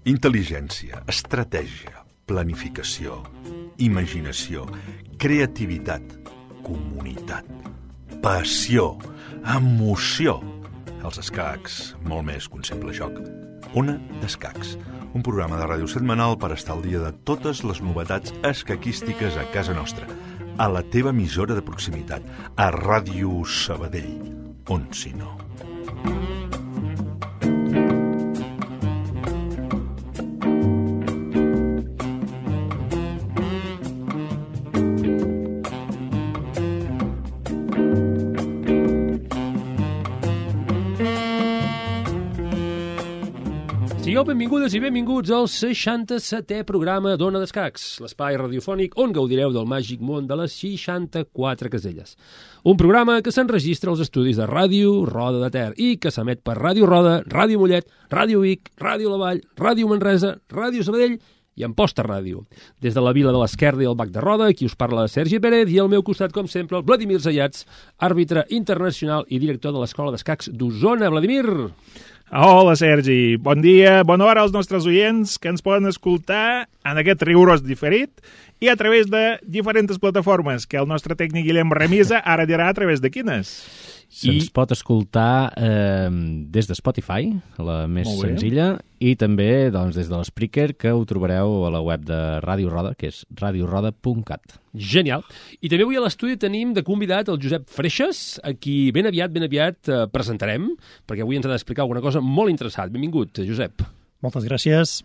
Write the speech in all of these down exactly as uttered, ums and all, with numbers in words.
Intel·ligència, estratègia, planificació, imaginació, creativitat, comunitat, passió, emoció. Els escacs, molt més que un simple joc. Ona d'Escacs, un programa de ràdio setmanal per estar al dia de totes les novetats escaquístiques a casa nostra, a la teva emissora de proximitat, a Ràdio Sabadell, on si no. Sigueu benvingudes i benvinguts al seixanta-setè programa d'Ona d'Escacs, l'espai radiofònic on gaudireu del màgic món de les seixanta-quatre caselles. Un programa que s'enregistra als estudis de Ràdio Roda de Ter i que s'emet per Ràdio Roda, Ràdio Mollet, Ràdio Vic, Ràdio La Vall, Ràdio Manresa, Ràdio Sabadell i Amposta Ràdio. Des de la vila de l'Esquerda i el Bac de Roda, aquí us parla Sergi Pérez i al meu costat, com sempre, el Vladimir Zayats, àrbitre internacional i director de l'Escola d'Escacs d'Osona. Vladimir! Hola, Sergi. Bon dia, bona hora als nostres oients que ens poden escoltar en aquest rigorós diferit i a través de diferents plataformes, que el nostre tècnic Guillem Remisa ara dirà a través de quines. Se'ns I... pot escoltar eh, des de Spotify, la més senzilla, i també doncs, des de l'Spreaker, que ho trobareu a la web de Ràdio Roda, que és radio roda punt cat. Genial. I també avui a l'estudi tenim de convidat el Josep Freixas, a qui ben aviat, ben aviat eh, presentarem, perquè avui ens ha d'explicar alguna cosa molt interessant. Benvingut, Josep. Moltes gràcies.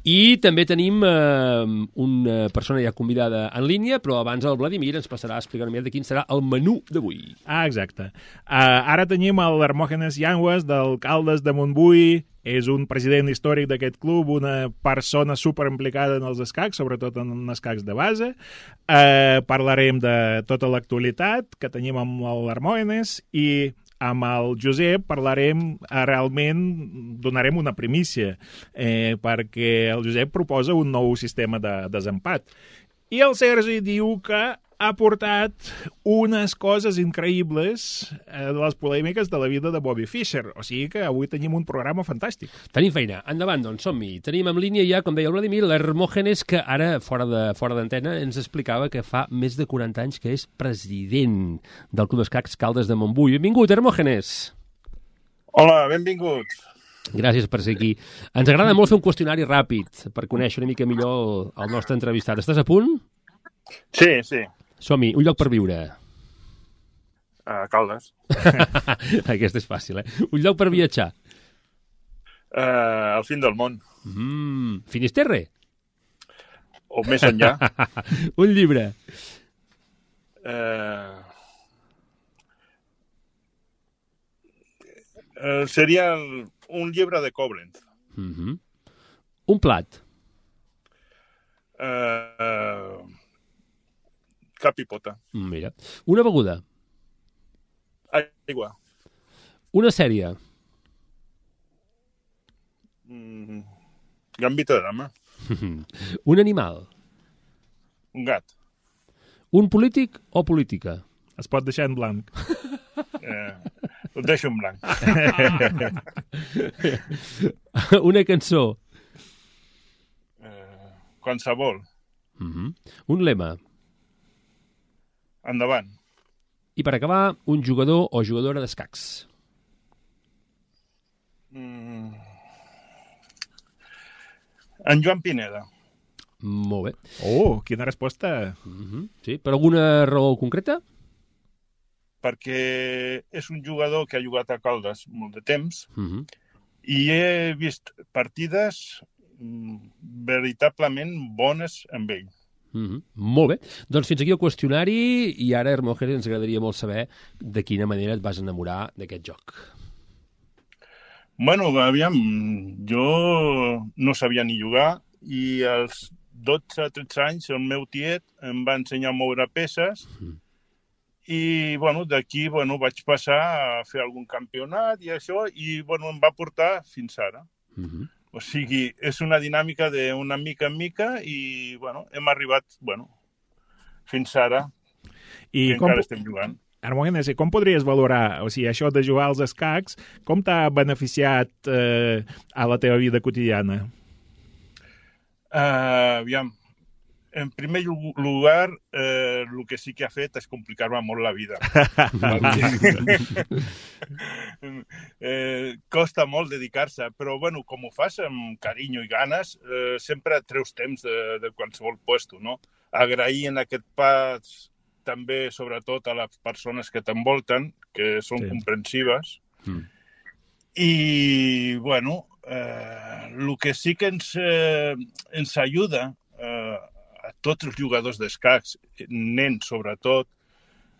I també tenim eh, una persona ja convidada en línia, però abans el Vladimir ens passarà a explicar una mica de quin serà el menú d'avui. Ah, exacte. Uh, ara tenim l'Hermògenes Llangues, d'Alcaldes de Montbui. És un president històric d'aquest club, una persona superimplicada en els escacs, sobretot en escacs de base. Uh, parlarem de tota l'actualitat que tenim amb l'Hermògenes i amb el Josep parlarem, realment donarem una primícia, eh, perquè el Josep proposa un nou sistema de desempat. I el Sergi diu que ha portat unes coses increïbles eh, de les polèmiques de la vida de Bobby Fischer. O sigui que avui tenim un programa fantàstic. Tenim feina. Endavant, doncs, som-hi. Tenim en línia ja, com deia el Vladimir, l'Hermògenes, que ara, fora de fora d'antena, ens explicava que fa més de quaranta anys que és president del Club d'Escacs Caldes de Montbui. Benvingut, Hermògenes. Hola, benvinguts. Gràcies per ser aquí. Ens agrada molt fer un qüestionari ràpid per conèixer una mica millor el, el nostre entrevistat. Estàs a punt? Sí, sí. Som-hi. Un lloc per viure. A Caldes. Aquesta és fàcil, eh? Un lloc per viatjar. Uh, al fin del món. Mm, Finisterre? O més enllà. Un llibre. Uh, uh, seria un llibre de Koblenz. Mm-hmm. Un plat. Uh, uh, cap i pota. Mira. Una beguda. Aigua. Una sèrie. Mm, Gambito de dama. Un animal. Un gat. Un polític o política? Es pot deixar en blanc. Eh, ho deixo en blanc. Una cançó. Eh, qualsevol. Mm-hmm. Un lema. Endavant. I per acabar, un jugador o jugadora d'escacs. Mm. En Joan Pineda. Molt bé. Oh, quina resposta. Mm-hmm. Sí, per alguna raó concreta? Perquè és un jugador que ha jugat a Caldes molt de temps Mm-hmm. i he vist partides mm, veritablement bones amb ell. Mm-hmm. Molt bé. Doncs fins aquí el qüestionari i ara, Hermògenes, ens agradaria molt saber de quina manera et vas enamorar d'aquest joc. Bueno, aviam, jo no sabia ni jugar i als dotze o tretze anys el meu tiet em va ensenyar a moure peces mm. i bueno, d'aquí bueno, vaig passar a fer algun campionat i això i bueno, em va portar fins ara. Mm-hmm. O sigui, és una dinàmica d'una mica en mica i, bueno, hem arribat, bueno, fins ara I i com, encara estem jugant. Hermògenes, com podries valorar, o sigui, això de jugar als escacs, com t'ha beneficiat eh, a la teva vida quotidiana? Uh, aviam, en primer lugar, eh, el que sí que ha fet és complicar-me molt la vida. eh, costa molt dedicar-se, però bueno, com ho fas amb carinyo i ganes, eh, sempre treus temps de, de qualsevol puesto, no? Agrair en aquest pas també, sobretot, a les persones que t'envolten, que són sí. comprensives. Mm. I, bueno, eh, el que sí que ens, eh, ens ajuda eh, a tots els jugadors d'escacs, nens sobretot,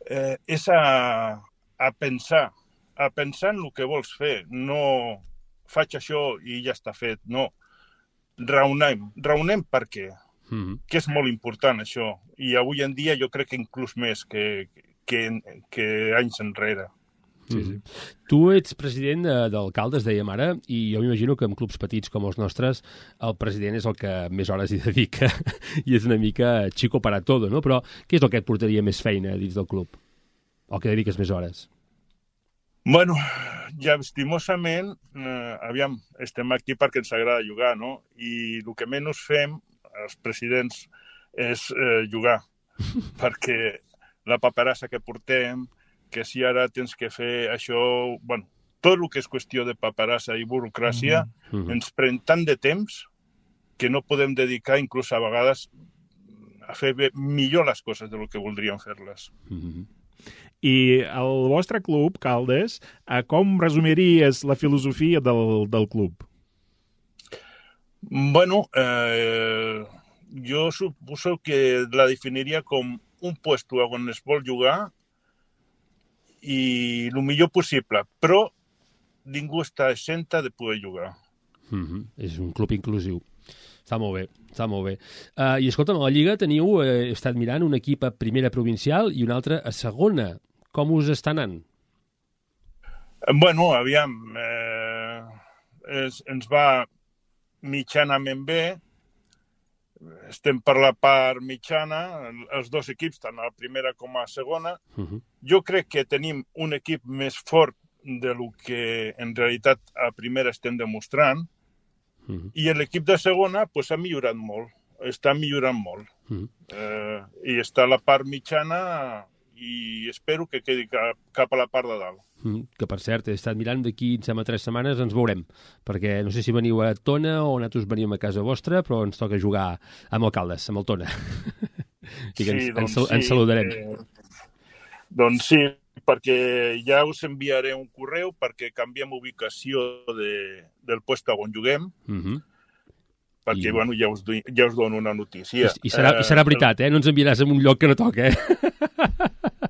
eh, és a, a pensar, a pensar en el que vols fer. No faig això i ja està fet, no. Raonem, raonem per què. Mm-hmm. Que és molt important, això. I avui en dia jo crec que inclús més que, que, que anys enrere. Sí, sí. Tu ets president d'alcaldes, dèiem ara, i jo m'imagino que en clubs petits com els nostres el president és el que més hores hi dedica i és una mica chico para todo, no? Però què és el que et portaria més feina dins del club? O que dediques més hores? Bueno, ja estimosament, eh, aviam, estem aquí perquè ens agrada jugar, no? I el que menys fem els presidents és eh, jugar, perquè la paperassa que portem, que si ara tens que fer això, bueno, tot el que és qüestió de paperassa i burocràcia, mm-hmm. ens pren tant de temps que no podem dedicar inclús a vegades a fer bé, millor les coses del que voldríem fer-les. Mm-hmm. I el vostre club, Caldes, com resumiries la filosofia del, del club? Bueno, eh, jo suposo que la definiria com un puesto on es vol jugar i el millor possible, però ningú està exenta de poder jugar. Mm-hmm. És un club inclusiu. Està molt bé, està molt bé. Uh, I escolta'm, a la Lliga teniu, eh, he estat mirant, un equip a primera provincial i un altre a segona. Com us està anant? Bueno, aviam, eh, es, ens va mitjanament bé, estem per la part mitjana, els dos equips, tant a la primera com a la segona. Uh-huh. Jo crec que tenim un equip més fort del que en realitat a primera estem demostrant, uh-huh. i l'equip de segona pues, ha millorat molt, està millorant molt. Uh-huh. Eh, I està a la part mitjana i espero que quedi cap, cap a la part de dalt. Mm, que, per cert, he estat mirant d'aquí, em sembla, tres setmanes ens veurem, perquè no sé si veniu a Tona o nosaltres venim a casa vostra, però ens toca jugar amb Alcaldes, amb el Tona. I que ens, sí, doncs ens, sí, ens saludarem. Eh, doncs sí, perquè ja us enviaré un correu perquè canviem ubicació de, del puesto on juguem, mm-hmm. perquè, I... bueno, ja us, ja us dono una notícia. I, i, serà, uh, i serà veritat, eh? No ens enviaràs en un lloc que no toca, eh?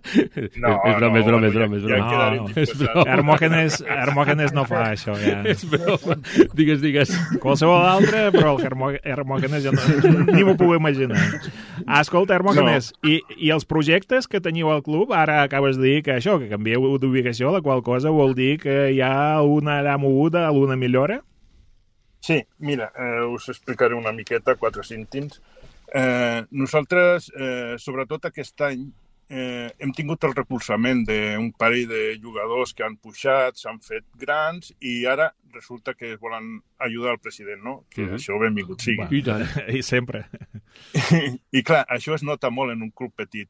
No, és broma, no, és broma, és broma, és broma. Ja, ja no, és broma. Hermògenes, Hermògenes no fa això, ja. És broma. Digues, digues. Qualsevol altre, però el Hermògenes ja no, ni m'ho puc imaginar. Escolta, Hermògenes, no. i, i els projectes que teniu al club, ara acabes de dir que això, que canvieu d'ubicació, la qual cosa vol dir que hi ha una allà moguda, alguna millora? Sí, mira, eh, us explicaré una miqueta, quatre cèntims. Eh, nosaltres, eh, sobretot aquest any, Eh, hem tingut el recolzament d'un parell de jugadors que han pujat, s'han fet grans i ara resulta que es volen ajudar al president, no? Que uh-huh. això benvingut sigui. I, I sempre. I clar, això es nota molt en un club petit,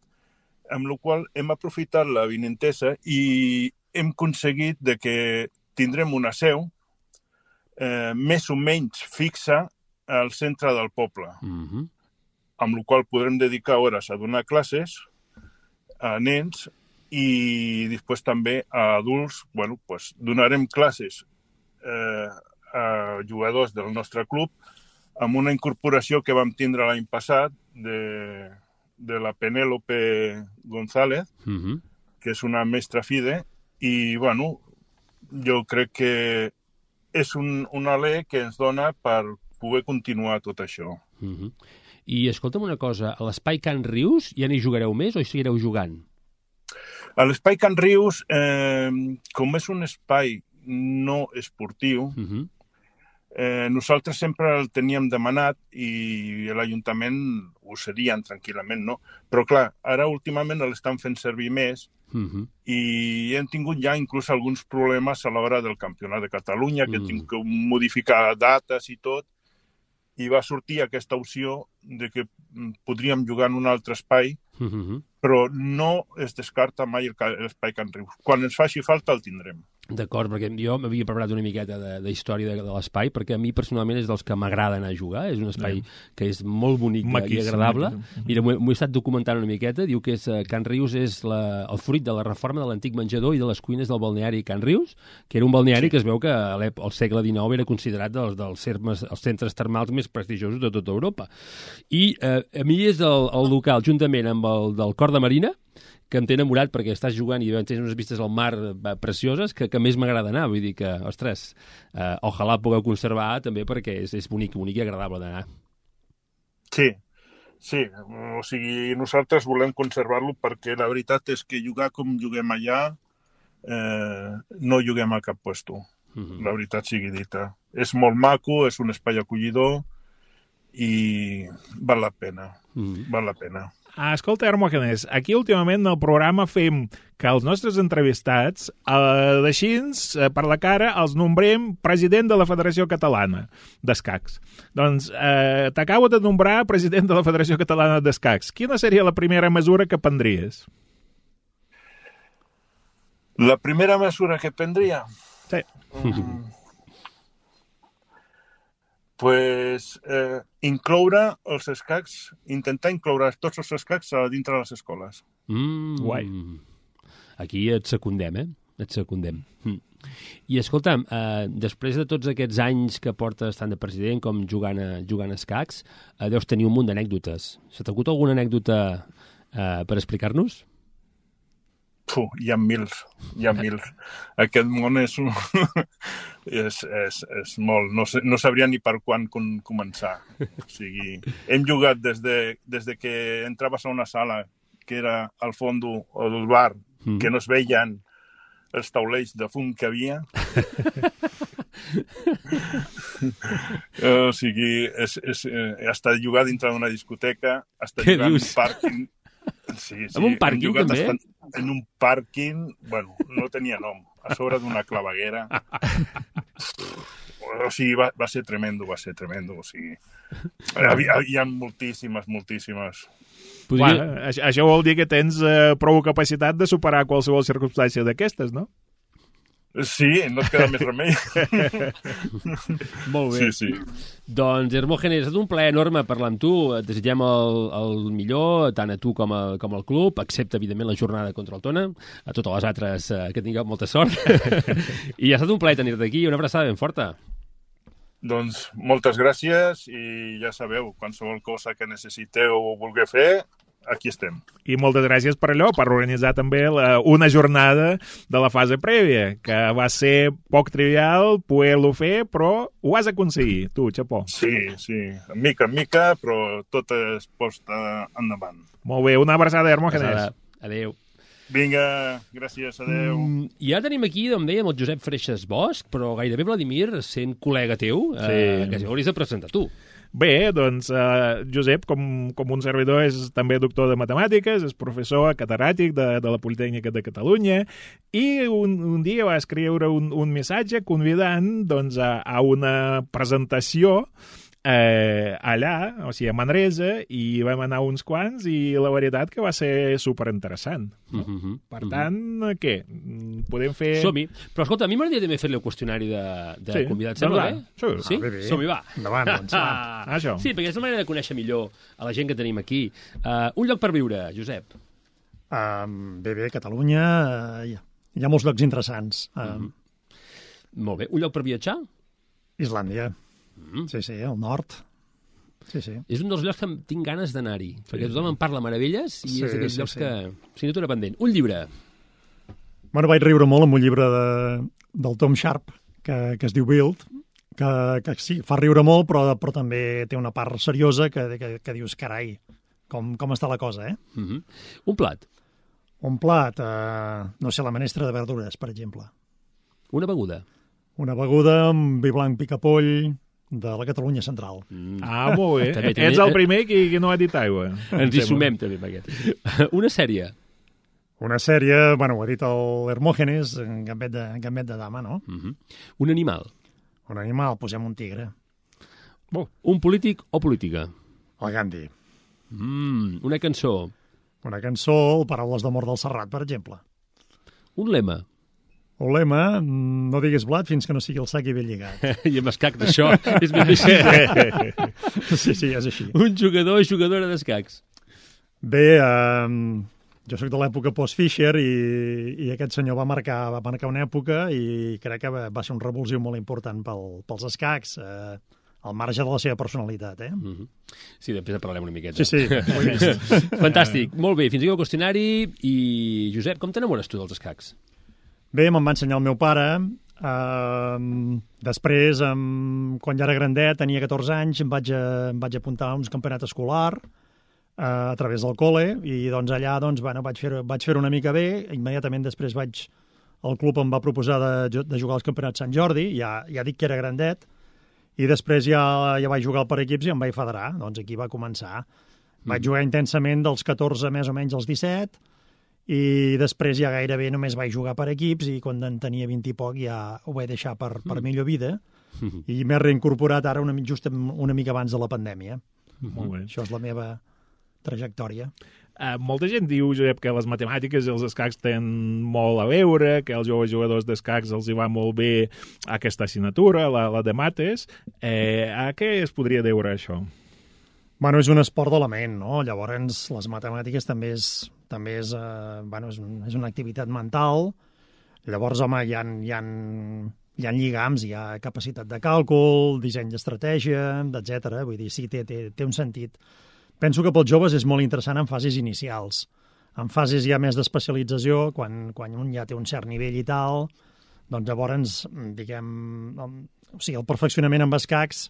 amb la qual hem aprofitat la vinentesa i hem aconseguit de que tindrem una seu eh, més o menys fixa al centre del poble, uh-huh. amb la qual podrem dedicar hores a donar classes a nens i després també a adults. Bueno, pues, donarem classes eh, a jugadors del nostre club amb una incorporació que vam tindre l'any passat de, de la Penélope González, uh-huh. que és una mestra FIDE, i bueno, jo crec que és un, un alè que ens dona per poder continuar tot això. Uh-huh. I escolta'm una cosa, a l'Espai Can Rius ja n'hi jugareu més o hi seguireu jugant? A l'Espai Can Rius, eh, com és un espai no esportiu, uh-huh. Eh, nosaltres sempre el teníem demanat i l'Ajuntament ho serien tranquil·lament, no? Però clar, ara últimament l'estan fent servir més Uh-huh. i hem tingut ja inclús alguns problemes a l'hora del Campionat de Catalunya, que Mm. mm. tinc que modificar dates i tot, i va sortir aquesta opció de que podríem jugar en un altre espai, Uh-huh. però no es descarta mai l'espai Can Rius. Quan ens faci falta el tindrem. D'acord, perquè jo m'havia preparat una miqueta de, de història de, de l'espai, perquè a mi personalment és dels que m'agrada anar a jugar, és un espai yeah. que és molt bonic Maquíssim, i agradable. Maquíssim. Mira, m'ho he estat documentant una miqueta, diu que és, Can Rius és la, el fruit de la reforma de l'antic menjador i de les cuines del balneari Can Rius, que era un balneari sí. que es veu que al segle dinou era considerat dels, dels cermes, els centres termals més prestigiosos de tota Europa. I eh, a mi és el, el local, juntament amb el del Cor de Marina, que em té enamorat perquè estàs jugant i tens unes vistes al mar precioses que, que més m'agrada anar. Vull dir que, ostres, eh, ojalà pugueu conservar també perquè és, és bonic, bonic i agradable d'anar. Sí, sí. O sigui, nosaltres volem conservar-lo perquè la veritat és que jugar com juguem allà eh, no juguem a cap puesto. Uh-huh. La veritat sigui dita. És molt maco, és un espai acollidor i val la pena. Uh-huh. Val la pena. Ah, escolta, Hermògenes, aquí últimament al programa fem que els nostres entrevistats, eh, d'aixins, eh, per la cara, els nombrem president de la Federació Catalana d'Escacs. Doncs eh, t'acabo de nombrar president de la Federació Catalana d'Escacs. Quina seria la primera mesura que prendries? La primera mesura que prendria? Sí. Mm. Pues, eh, incloure els escacs, intentar incloure tots els escacs a dintre de les escoles. Mm, Guai. Aquí et secundem, eh? Et secundem. Mm. I escolta'm, eh, després de tots aquests anys que portes tant de president com jugant a, jugant a escacs, eh, deus tenir un munt d'anècdotes. Se t'ha acut alguna anècdota eh, per explicar-nos? Puh, hi ha mils, hi ha mils. Aquest món és, un... és, és, és molt... No, sé, no sabria ni per quan com, començar. O sigui, hem jugat des de, des de que entraves a una sala que era al fons del bar, mm. que no es veien els taulells de fum que havia. O sigui, és, és, eh, hasta jugar dintre d'una discoteca, hasta jugar en un pàrquing. Sí, sí. En un pàrquing, també? En un pàrquing, bueno, no tenia nom, a sobre d'una claveguera. O sigui, va, va ser tremendo, va ser tremendo. O sigui, hi, hi ha moltíssimes, moltíssimes. Podria... Bueno, això vol dir que tens eh, prou capacitat de superar qualsevol circumstància d'aquestes, no? Sí, no et queda més remei. Molt bé. Sí, sí. Doncs, Hermògenes, ha estat un plaer enorme parlar amb tu. Et desitgem el, el millor, tant a tu com, a, com al club, excepte, evidentment, la jornada contra el Tona. A totes les altres, eh, que tingueu molta sort. I ha estat un plaer tenir-te aquí. Una abraçada ben forta. Doncs moltes gràcies i ja sabeu, qualsevol cosa que necessiteu o vulgueu fer, aquí estem. I moltes gràcies per allò, per organitzar també la, una jornada de la fase prèvia, que va ser poc trivial poder-lo fer, però ho has aconseguit, tu, xapó. Sí, sí, mica en mica, però tot es posta endavant. Molt bé, una abraçada, Hermògenes. Adéu. Vinga, gràcies, adéu. Mm, I ara tenim aquí, com dèiem, el Josep Freixas Bosch, però gairebé, Vladimir, sent col·lega teu, sí. eh, que ja hauries de presentar tu. Bé, doncs, eh, Josep, com, com un servidor, és també doctor de matemàtiques, és professor catedràtic de, de la Politècnica de Catalunya, i un, un dia va escriure un, un missatge convidant doncs, a, a una presentació eh, allà, o sigui, a Manresa, i vam anar uns quants, i la veritat que va ser superinteressant. No? Uh -huh, per uh -huh. tant, què? Podem fer... Som-hi. Però, escolta, a mi m'agradaria també fer-li el qüestionari de, de sí. convidats. Sembla bé? Sí, sí? Ah, bé, bé. Som-hi, va. Endavant, doncs, va. Ah, això. Sí, perquè és la manera de conèixer millor a la gent que tenim aquí. Uh, un lloc per viure, Josep. Uh, bé, bé, Catalunya, uh, hi, ha, hi ha molts llocs interessants. Uh, uh -huh. Molt bé. Un lloc per viatjar? Islàndia. Mm. Sí, sí, al nord. Sí, sí. És un dels llocs que tinc ganes d'anar-hi, perquè sí. tothom en parla meravelles i sí, és d'aquells sí, llocs sí. que signatura pendent. Un llibre. Bueno, vaig riure molt amb un llibre de, del Tom Sharp, que, que es diu Build, que, que sí, fa riure molt, però, però també té una part seriosa que, que, que dius, carai, com, com està la cosa, eh? Mm -hmm. Un plat. Un plat, eh, no sé, la menestra de verdures, per exemple. Una beguda. Una beguda amb vi blanc picapoll, de la Catalunya Central. Mm. Ah, molt bé. També, també. Ets el primer que, que no ha dit aigua. Ens hi sumem també amb aquest. Una sèrie. Una sèrie, bueno, ho ha dit el Hermògenes, en Gambet de, Gambet de dama, no? Mm -hmm. Un animal. Un animal, posem un tigre. Oh. Un polític o política. El Gandhi. Mm. Una cançó. Una cançó, Paraules d'amor del Serrat, per exemple. Un lema. Un lema, no diguis blat fins que no sigui el sac i ben lligat. I amb escac d'això és ben així. Sí, sí, és així. Un jugador o jugadora d'escacs. Bé, eh, jo sóc de l'època post-Fischer i, i aquest senyor va marcar, va marcar una època i crec que va, va ser un revulsiu molt important pel, pels escacs, eh, al marge de la seva personalitat, eh? Mm -hmm. Sí, després en parlarem una miqueta. Sí, sí, ho he vist. Fantàstic, molt bé, fins aquí el qüestionari. I, Josep, com t'enamores tu dels escacs? Bé, me'n va ensenyar el meu pare. Uh, després, um, quan ja era grandet, tenia catorze anys, em vaig, a, em vaig apuntar a uns campionats escolar uh, a través del col·le i doncs allà doncs, bueno, vaig fer vaig fer una mica bé. Immediatament després vaig el club em va proposar de, de jugar als campionats Sant Jordi, ja, ja dic que era grandet, i després ja, ja vaig jugar per equips i em vaig federar. Doncs aquí va començar. Vaig jugar intensament dels catorze més o menys als disset, i després ja gairebé només vaig jugar per equips i quan en tenia vint i poc ja ho vaig deixar per, per millor vida i m'he reincorporat ara una, just una mica abans de la pandèmia. Molt bé. Això és la meva trajectòria. Uh, molta gent diu, Josep, que les matemàtiques i els escacs tenen molt a veure, que els joves jugadors d'escacs els hi va molt bé aquesta assignatura, la, la de mates. Eh, a què es podria deure això? Bueno, és un esport de la ment, no? Llavors, les matemàtiques també és, també és, eh, bueno, és, un, és una activitat mental. Llavors, home, hi ha, hi ha, hi ha lligams, hi ha capacitat de càlcul, disseny d'estratègia, etcètera. Vull dir, sí, té, té, té un sentit. Penso que pels joves és molt interessant en fases inicials. En fases ja més d'especialització, quan, quan un ja té un cert nivell i tal, doncs llavors, diguem, o sigui, el perfeccionament amb escacs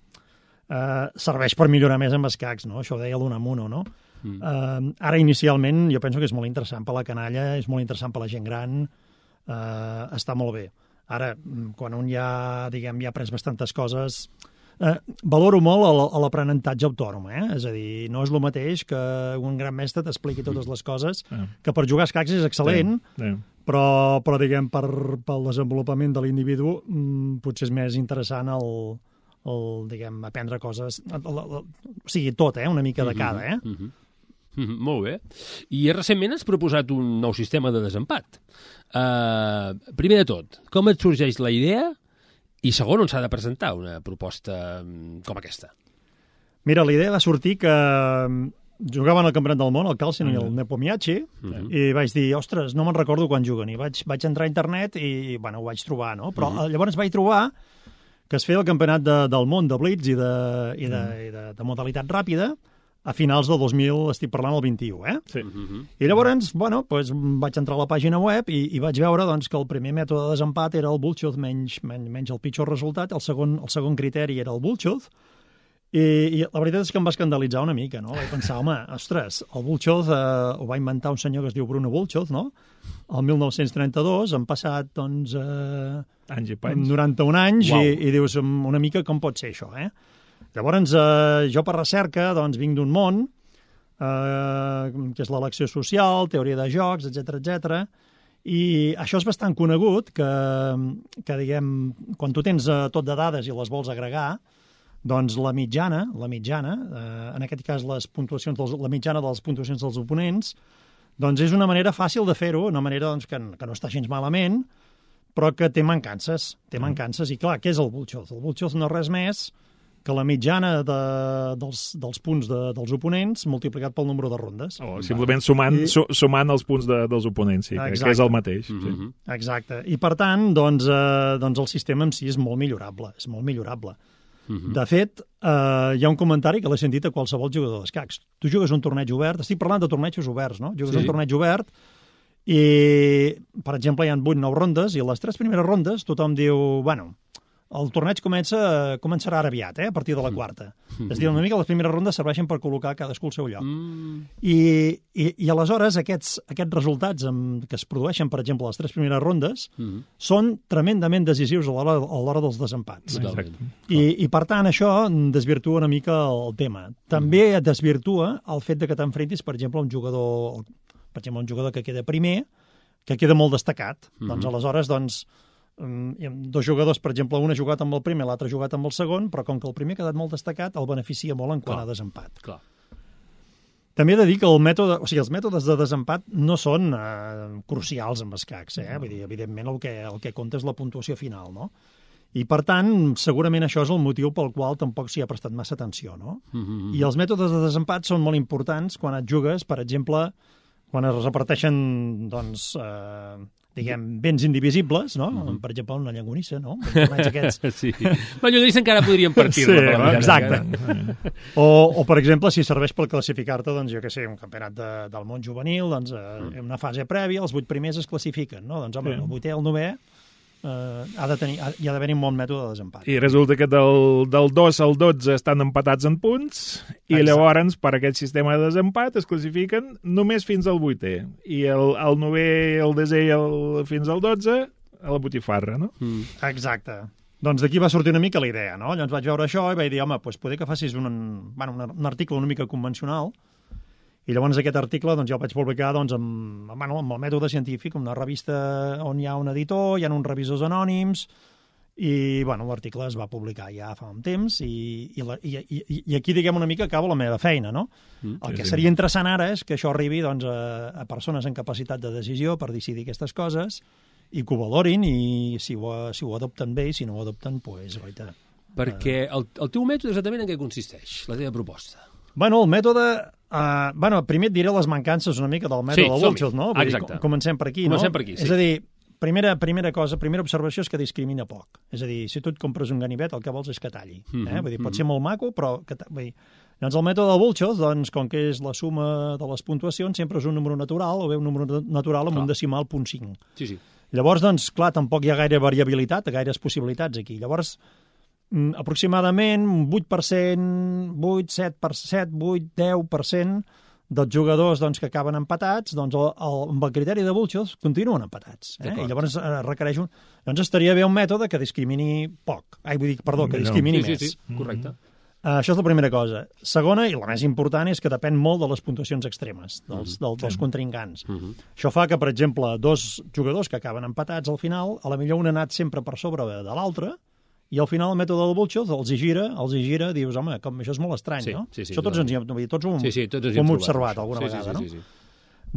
eh, serveix per millorar més amb escacs, no? Això ho deia l'Unamuno, no? Mm. Eh, ara, inicialment, jo penso que és molt interessant per la canalla, és molt interessant per la gent gran, eh, està molt bé. Ara, quan un ja, diguem, ja ha après bastantes coses... Eh, valoro molt l'aprenentatge autònom, eh? És a dir, no és el mateix que un gran mestre t'expliqui totes les coses, que per jugar a escacs és excel·lent, sí, sí. Però, però diguem, per, pel desenvolupament de l'individu mmm, potser és més interessant el, el diguem, aprendre coses, el, el, el, o sigui, tot, eh? Una mica de cada, eh? Mm-hmm. Mm-hmm. Molt bé. I recentment has proposat un nou sistema de desempat. Uh, primer de tot, com et sorgeix la idea? I segon, on s'ha de presentar una proposta com aquesta? Mira, la idea va sortir que jugaven al Campionat del Món, el Carlsen mm. i el Nepomniachtchi, mm-hmm. i vaig dir, ostres, no me'n recordo quan juguen. I vaig, vaig entrar a internet i, bueno, ho vaig trobar, no? Però mm-hmm. llavors vaig trobar que es feia el Campionat de, del Món de Blitz i de, i de, mm. i de, de modalitat ràpida a finals del dos mil, estic parlant el vint-i-u, eh? Sí. Mm-hmm. I llavors, bueno, pues, vaig entrar a la pàgina web i, i vaig veure doncs, que el primer mètode de desempat era el bullshot menys, menys, menys el pitjor resultat, el segon, el segon criteri era el bullshot, i, i la veritat és que em va escandalitzar una mica, no? Vaig pensar, home, ostres, el bullshot eh, ho va inventar un senyor que es diu Bruno Bullshot, no? El mil nou-cents trenta-dos, han passat, doncs, eh, anys i panys. noranta-un anys, wow. i, i dius una mica com pot ser això, eh? Llavors, eh, jo per recerca, doncs, vinc d'un món, eh, que és l'elecció social, teoria de jocs, etcètera, etcètera, i això és bastant conegut, que, que diguem, quan tu tens eh, tot de dades i les vols agregar, doncs la mitjana, la mitjana, eh, en aquest cas les puntuacions dels, la mitjana de les puntuacions dels oponents, doncs és una manera fàcil de fer-ho, una manera doncs, que, que no està gens malament, però que té mancances, té mancances, i clar, què és el bullshot? El bullshot no és res més que la mitjana de, dels, dels punts de, dels oponents multiplicat pel nombre de rondes. O simplement sumant, I... su, sumant els punts de, dels oponents, sí, que, que és el mateix. Mm-hmm. Sí. Exacte. I per tant, doncs, eh, doncs el sistema en si és molt millorable, és molt millorable. Mm-hmm. De fet, eh, hi ha un comentari que l'he sentit a qualsevol jugador d'escacs. Tu jugues un torneig obert, estic parlant de tornejos oberts, no? Jugues sí. un torneig obert i, per exemple, hi ha vuit nou rondes i a les tres primeres rondes tothom diu, bueno, el torneig comença, començarà ara aviat, eh, a partir de la quarta. Mm. És a dir, una mica les primeres rondes serveixen per col·locar cadascú al seu lloc. Mm. I, i, I aleshores aquests, aquests resultats amb, que es produeixen, per exemple, les tres primeres rondes, mm. són tremendament decisius a l'hora, a l'hora dels desempats. I, I, per tant, això desvirtua una mica el tema. També mm. desvirtua el fet de que t'enfrentis, per exemple, a un jugador, per exemple, un jugador que queda primer, que queda molt destacat. Mm. Doncs aleshores, doncs, dos jugadors, per exemple, un ha jugat amb el primer, l'altre ha jugat amb el segon, però com que el primer ha quedat molt destacat, el beneficia molt en quant Clar. a desempat. Clar. També he de dir que el mètode, o sigui, els mètodes de desempat no són eh, crucials amb escacs, eh? Vull dir, evidentment el que, el que compta és la puntuació final, no? I, per tant, segurament això és el motiu pel qual tampoc s'hi ha prestat massa atenció, no? Mm-hmm. I els mètodes de desempat són molt importants quan et jugues, per exemple, quan es reparteixen, doncs, eh, diguem, béns indivisibles, no? Mm-hmm. Per exemple, una llangonissa, no? Aquests... Sí. La llangonissa encara podríem partir-la. Sí, no? Exacte. O, o, per exemple, si serveix per classificar-te, doncs, jo què sé, un campionat de, del món juvenil, doncs, eh, en una fase prèvia, els vuit primers es classifiquen, no? Doncs, home, sí. el vuitè, el novè, Uh, ha de tenir, ha, hi ha d'haver un bon mètode de desempat. I resulta que del, del dos al dotze estan empatats en punts i Exacte. Llavors per aquest sistema de desempat es classifiquen només fins al vuitè i el, el novè, el desè i el, fins al dotze a la botifarra, no? Mm. Exacte. Doncs d'aquí va sortir una mica la idea, no? Llavors vaig veure això i vaig dir, home, doncs poder que facis un, bueno, un, un article una mica convencional. I llavors aquest article doncs, ja el vaig publicar doncs, amb, bueno, amb el mètode científic, una revista on hi ha un editor, hi ha uns revisors anònims, i bueno, l'article es va publicar ja fa un temps, i, i, la, i, i, i aquí, diguem, una mica acaba la meva feina, no? Mm, el que sí, seria sí. interessant ara és que això arribi doncs, a, a persones amb capacitat de decisió per decidir aquestes coses, i que ho valorin, i si ho, si ho adopten bé, i si no ho adopten, doncs, pues, goita. Perquè el, el teu mètode exactament en què consisteix, la teva proposta? Bueno, el mètode... Uh, bueno, primer et diré les mancances una mica del mètode sí, de Wilczels, no? Vull Exacte. Dir, comencem per aquí, comencem no? Per aquí, sí. És a dir, primera, primera cosa, primera observació és que discrimina poc. És a dir, si tu et compres un ganivet, el que vols és que talli. Mm-hmm, eh? Vull dir, pot mm-hmm. ser molt maco, però... Que vull dir, doncs el mètode de Wilczels, doncs, com que és la suma de les puntuacions, sempre és un número natural, o bé un número natural amb clar. Un decimal punt cinc. Sí, sí. Llavors, doncs, clar, tampoc hi ha gaire variabilitat, gaires possibilitats aquí. Llavors, aproximadament un vuit per cent, vuit, set per cent, vuit, deu per cent dels jugadors doncs, que acaben empatats, doncs el, el, amb el criteri de Wilczels continuen empatats. Eh? I llavors eh, requereix un... Doncs estaria bé un mètode que discrimini poc. Ai, vull dir, perdó, que discrimini sí, més. Sí, sí, correcte. Uh, això és la primera cosa. Segona, i la més important, és que depèn molt de les puntuacions extremes, dels, mm-hmm. del, dels sí. contrincants. Mm-hmm. Això fa que, per exemple, dos jugadors que acaben empatats al final, a la millor un ha anat sempre per sobre de l'altre, i al final el mètode del Wilczels els hi gira, els hi gira, dius, home, com això és molt estrany, sí, no? Sí, sí, això tots ens hi hem, tots ho, sí, sí, tots ho hem observat alguna sí, vegada, sí, sí, sí, sí. no?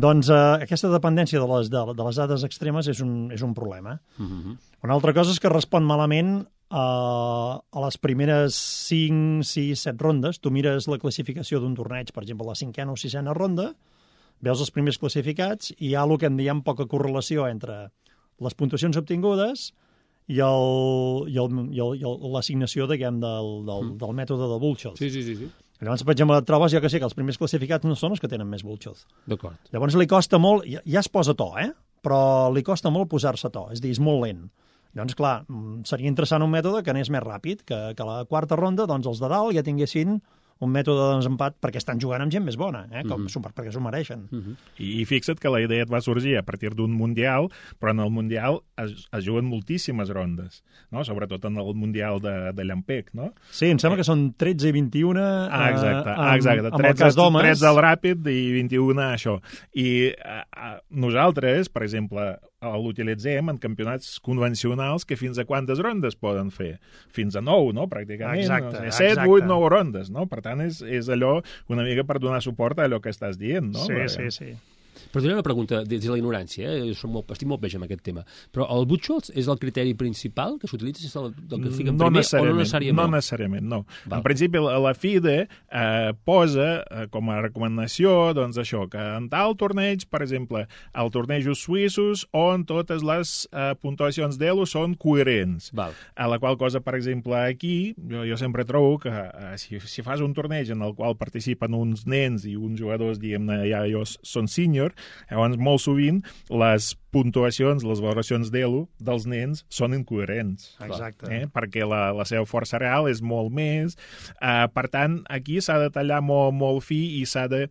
Doncs eh, aquesta dependència de les, de, de les dades extremes és un, és un problema. Mm-hmm. Una altra cosa és que respon malament a, a les primeres cinc, sis, set rondes. Tu mires la classificació d'un torneig, per exemple, la cinquena o sisena ronda, veus els primers classificats i hi ha el que en diem poca correlació entre les puntuacions obtingudes i l'assignació, diguem, del, del, del mètode de Wilczels. Sí, sí, sí, sí. Llavors, per exemple, et trobes, jo que sé, que els primers classificats no són els que tenen més Wilczels. D'acord. Llavors li costa molt, ja, ja es posa to, eh? Però li costa molt posar-se to, és a dir, és molt lent. Llavors, clar, seria interessant un mètode que anés més ràpid, que, que a la quarta ronda, doncs, els de dalt ja tinguessin un mètode de desempat perquè estan jugant amb gent més bona, eh? Com, mm-hmm. perquè s'ho mereixen. Mm-hmm. I, I fixa't que la idea et va sorgir a partir d'un Mundial, però en el Mundial es, es juguen moltíssimes rondes, no? Sobretot en el Mundial de, de Llampec, no? Sí, em sembla que són tretze i vint-i-u ah, exacte, amb, exacte. amb el cas d'homes. tretze al ràpid i vint-i-u això. I a, a, nosaltres, per exemple, l'utilitzem en campionats convencionals que fins a quantes rondes poden fer? Fins a nou, no? Pràcticament. Exacte, no? set, vuit, nou rondes, no? Per tant, és, és allò una mica per donar suport a allò que estàs dient, no? Sí, Perquè... sí, sí. Però tinc una pregunta, des de la ignorància, eh? Som molt, estic molt peix amb aquest tema, però el Wilczels és el criteri principal que s'utilitza, és el, el que fica en no primer o no necessàriament? No necessàriament, no. Val. En principi, la, la FIDE eh, posa eh, com a recomanació, doncs això, que en tal torneig, per exemple, el tornejos suïssos on totes les eh, puntuacions d'Elo són coherents. Val. A la qual cosa, per exemple, aquí, jo, jo sempre trobo que eh, si, si fas un torneig en el qual participen uns nens i uns jugadors, diguem-ne, ja, ja són seniors, superior. Llavors, molt sovint, les puntuacions, les valoracions d'Elo dels nens són incoherents. Exacte. Eh? Perquè la, la seva força real és molt més. Uh, per tant, aquí s'ha de tallar molt, molt fi i s'ha de...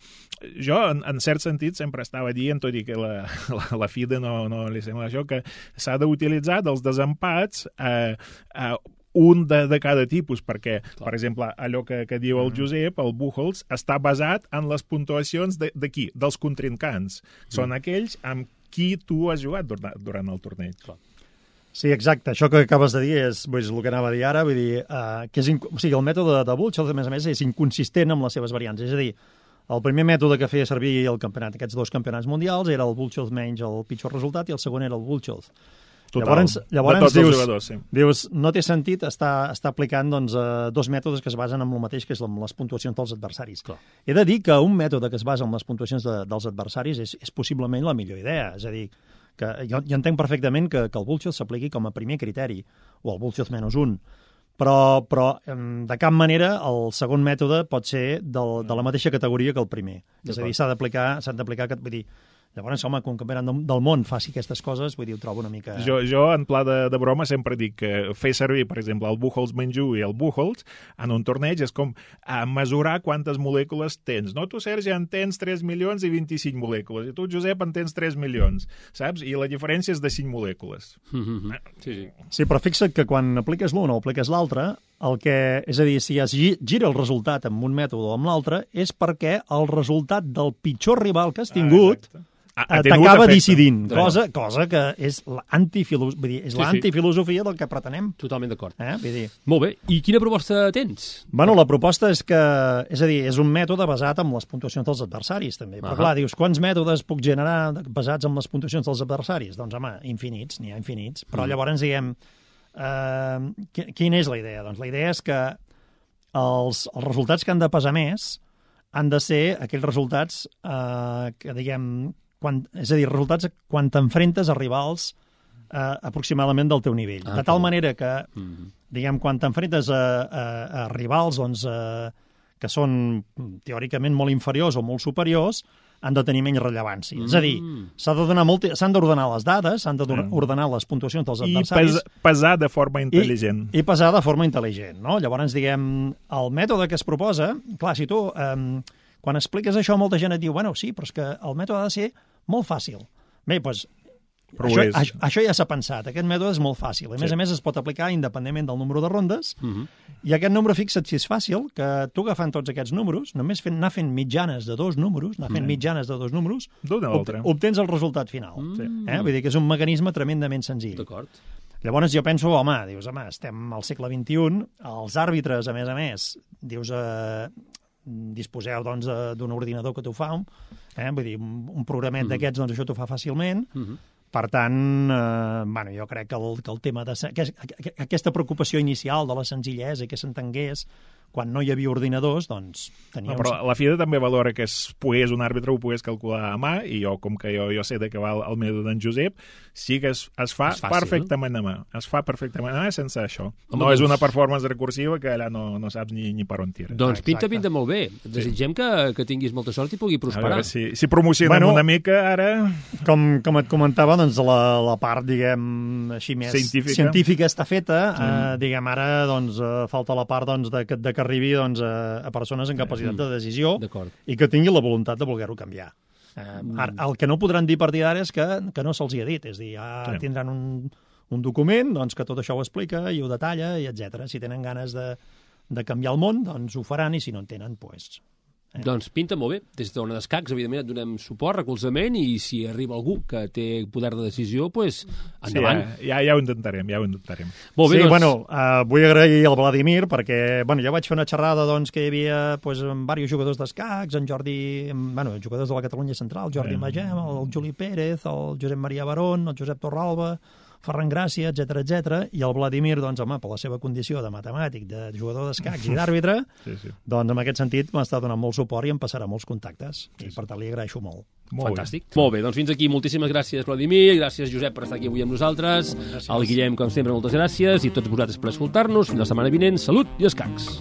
Jo, en, en cert sentit, sempre estava dient, tot i que la, la, la FIDE no, no li sembla això, que s'ha d'utilitzar dels desempats eh, eh, un de, de cada tipus, perquè, Clar. per exemple, allò que, que diu el Josep, el Buchholz, està basat en les puntuacions de, de qui? Dels contrincants. Mm. Són aquells amb qui tu has jugat durant, durant el torneig. Clar. Sí, exacte. Això que acabes de dir és, és el que anava a dir ara. Vull dir, uh, que és inc... o sigui, el mètode de Buchholz, a més a més, és inconsistent amb les seves variants. És a dir, el primer mètode que feia servir el campionat, aquests dos campionats mundials, era el Buchholz menys el pitjor resultat, i el segon era el Buchholz. Total. Llavors, llavors de tots dius, els jugadors, sí. dius, no té sentit estar, estar aplicant doncs, uh, dos mètodes que es basen en el mateix, que és amb les puntuacions dels adversaris. Clar. He de dir que un mètode que es basa en les puntuacions de, dels adversaris és, és possiblement la millor idea. És a dir, que jo, jo entenc perfectament que, que el Buchholz s'apliqui com a primer criteri, o el Buchholz menys un, però, però de cap manera el segon mètode pot ser del, de la mateixa categoria que el primer. És a dir, s'ha d'aplicar, s'han d'aplicar, vull dir, llavors, home, que un campionat del món faci aquestes coses, vull dir, ho trobo una mica... Jo, jo en pla de, de broma, sempre dic que fer servir, per exemple, el Buchholz menys u i el Buchholz en un torneig és com a mesurar quantes molècules tens. No, tu, Sergi, en tens tres milions i vint-i-cinc molècules, i tu, Josep, en tens tres milions, saps? I la diferència és de cinc molècules. Mm-hmm. Sí, sí. Sí, però fixa't que quan apliques l'un o apliques l'altre, el que, és a dir, si es gira el resultat amb un mètode o amb l'altre, és perquè el resultat del pitjor rival que has tingut... Ah, t'acaba decidint, cosa, cosa que és l'antifilosofia sí, sí. del que pretenem. Totalment d'acord. Eh? Vull dir... Molt bé, i quina proposta tens? Bueno, la proposta és que, és a dir, és un mètode basat en les puntuacions dels adversaris, també. Però, uh -huh. clar, dius, quants mètodes puc generar basats en les puntuacions dels adversaris? Doncs, home, infinits, n'hi ha infinits. Però mm. llavors, diguem, eh, quina és la idea? Doncs la idea és que els, els resultats que han de pesar més han de ser aquells resultats eh, que, diguem, quan, és a dir, resultats quan t'enfrentes a rivals eh, aproximadament del teu nivell. Ah, de tal manera que, mm-hmm. diguem, quan t'enfrentes a, a, a rivals doncs, eh, que són teòricament molt inferiors o molt superiors, han de tenir menys rellevància. Mm. És a dir, s'han de donar molt, s'han d'ordenar les dades, s'han d'ordenar les puntuacions dels adversaris. I pesar de forma intel·ligent. I, i pesar de forma intel·ligent, no? Llavors, diguem, el mètode que es proposa, clar, si tu... Eh, quan expliques això, molta gent et diu, bueno, sí, però és que el mètode ha de ser molt fàcil. Bé, doncs, això, això, això ja s'ha pensat. Aquest mètode és molt fàcil. A més sí. a més, es pot aplicar independentment del número de rondes, uh -huh. i aquest número, fixa't si és fàcil, que tu agafant tots aquests números, només fent, anar fent mitjanes de dos números, anar fent uh -huh. mitjanes de dos números, ob obtens el resultat final. Uh -huh. eh? Vull dir que és un mecanisme tremendament senzill. D'acord. Llavors jo penso, home, dius, home, estem al segle vint-i-un, els àrbitres, a més a més, dius... Eh, disposeu doncs, d'un ordinador que t'ho fa, eh? Vull dir, un, un programet mm-hmm. d'aquests, doncs això t'ho fa fàcilment. Mm-hmm. Per tant, eh, bueno, jo crec que el, que el tema de... Que, que, aquesta preocupació inicial de la senzillesa i que s'entengués quan no hi havia ordinadors, doncs... No, però la FIDE també valora que es pogués, un àrbitre ho pogués calcular a mà, i jo, com que jo, jo sé de què va el, el mètode d'en Josep, sí que es, es fa fàcil, perfectament no? a mà. Es fa perfectament a mà sense això. Home, no doncs... és una performance recursiva que allà no, no saps ni, ni per on tira. Doncs pinta, pinta molt bé. Desitgem sí. que, que tinguis molta sort i pugui prosperar. A veure, si, si promocionem bueno, una mica ara... Com, com et comentava, doncs la, la part, diguem, així més científica, científica està feta. Mm. Eh, diguem, ara doncs, eh, falta la part doncs, de, de que arribi doncs, a, a persones amb capacitat de decisió i que tinguin la voluntat de voler-ho canviar. Eh, el que no podran dir a partir d'ara és que, que no se'ls hi ha dit. És a dir, ja sí. tindran un, un document doncs, que tot això ho explica i ho detalla, i etcètera. Si tenen ganes de, de canviar el món, doncs ho faran, i si no en tenen, doncs... Eh. Doncs pinta molt bé. Des d'Ona d'Escacs, evidentment, et donem suport, recolzament, i si arriba algú que té poder de decisió, doncs endavant. Sí, ja, ja, ja ho intentarem, ja ho intentarem. Molt bé, sí, doncs... bueno, uh, vull agrair al Vladimir, perquè bueno, jo vaig fer una xerrada doncs, que hi havia doncs, amb diversos jugadors d'escacs, en Jordi, bueno, jugadors de la Catalunya Central, Jordi sí. Magem, el Juli Pérez, el Josep Maria Barón, el Josep Torralba, Ferran Gràcia, etcètera, etcètera, i el Vladimir, doncs, home, per la seva condició de matemàtic, de jugador d'escacs i d'àrbitre, sí, sí. doncs, en aquest sentit, m'està donant molt suport i em passarà molts contactes, sí, i per tant li agraeixo molt. molt Fantàstic. Bé. Molt bé, doncs fins aquí. Moltíssimes gràcies, Vladimir, gràcies, Josep, per estar aquí avui amb nosaltres, gràcies. Al Guillem, com sempre, moltes gràcies, i tots vosaltres per escoltar-nos. Fins la setmana vinent. Salut i escacs.